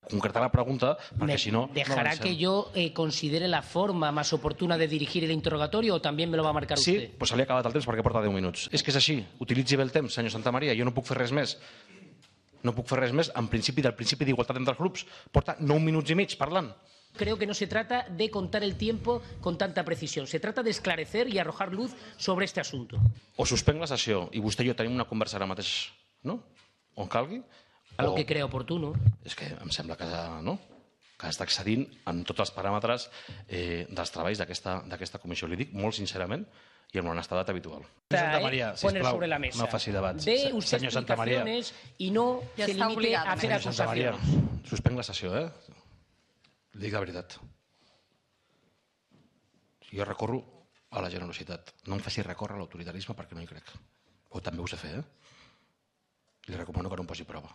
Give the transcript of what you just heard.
concretar la pregunta, perquè si no... ¿Dejará que yo considere la forma más oportuna de dirigir el interrogatorio o también me lo va a marcar Sí, usted? doncs se li ha acabat el temps perquè porta 10 minuts. És que és així. Utilitzi bé el temps, senyor Santamaría. Jo no puc fer res més. No puc fer res més en principi del principi d'igualtat entre els grups. Porta 9 minuts i mig parlant. Creo que no se trata de contar el tiempo con tanta precisión. Se trata de esclarecer y arrojar luz sobre este asunto. O suspenc la sessió i vostè i jo tenim una conversa ara mateix, no? On calgui. A lo que crea oportuno. És que em sembla que, no? Que està excedint en tots els paràmetres dels treballs d'aquesta comissió. Li dic molt sincerament i amb l'honestedat habitual. Santamaría, Poner sisplau, sobre la mesa. no faci debats. Dé usted Senyor Santamaría. explicaciones y no Ya se está limite obligado. a hacer Senyor Santamaría, acusaciones. Suspenc la sessió, Li dic la veritat. Jo recorro a la generositat. No em faci recórrer a l'autoritarisme perquè no hi crec. O també ho sé fer, Li recomano que no em posi prova.